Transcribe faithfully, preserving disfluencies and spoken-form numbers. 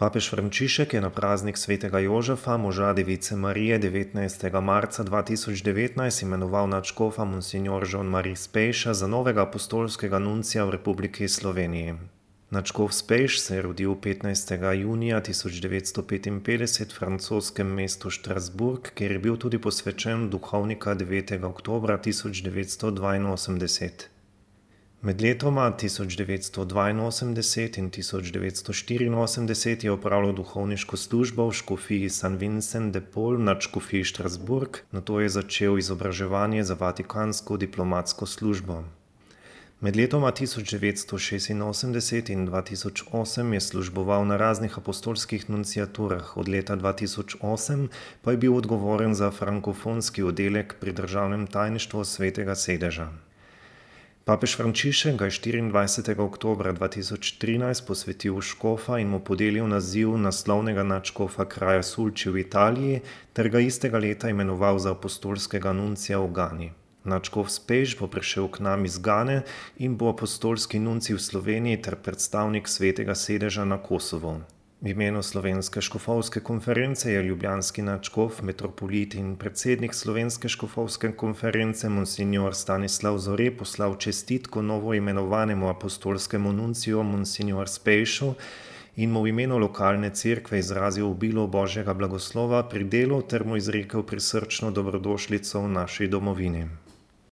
Papež Frančišek je na praznik svetega Jožefa, moža Device Marije, devetnajstega marca dva tisoč devetnajst imenoval nadškofa monsignor Jean-Marie Spejša za novega apostolskega nuncija v Republiki Sloveniji. Nadškof Spejš se je rodil petnajstega junija tisoč devetsto petinpetdeset v francoskem mestu Strasbourg, kjer je bil tudi posvečen duhovnika devetega oktobra tisoč devetsto dvainosemdeset. Med letoma tisoč devetsto dvainosemdeset in tisoč devetsto štiriinosemdeset je opravljal duhovniško službo v škofiji San Vincent de Paul v nadškofiji Strasbourg, nato je začel izobraževanje za vatikansko diplomatsko službo. Med letoma tisoč devetsto šestinosemdeset in dva tisoč osem je služboval na raznih apostolskih nunciaturah, od leta dva tisoč osem pa je bil odgovoren za frankofonski oddelek pri državnem tajništvu Svetega sedeža. Papež Frančišek ga je štiriindvajsetega oktobra dva tisoč trinajst posvetil v škofa in mu podelil naziv naslovnega nadškofa kraja Sulci v Italiji ter ga istega leta imenoval za apostolskega nuncija v Gani. Nadškof Spejš bo prišel k nam iz Gane in bo apostolski nuncij v Sloveniji ter predstavnik Svetega sedeža na Kosovu. V imenu Slovenske škofovske konference je ljubljanski nadškof, metropolit in predsednik Slovenske škofovske konference monsignor Stanislav Zore poslal čestitko novoimenovanemu apostolskemu nunciju monsignor Spejšu in mu v imenu lokalne cerkve izrazil obilo Božjega blagoslova pri delu ter mu izrekel prisrčno dobrodošlico v naši domovini.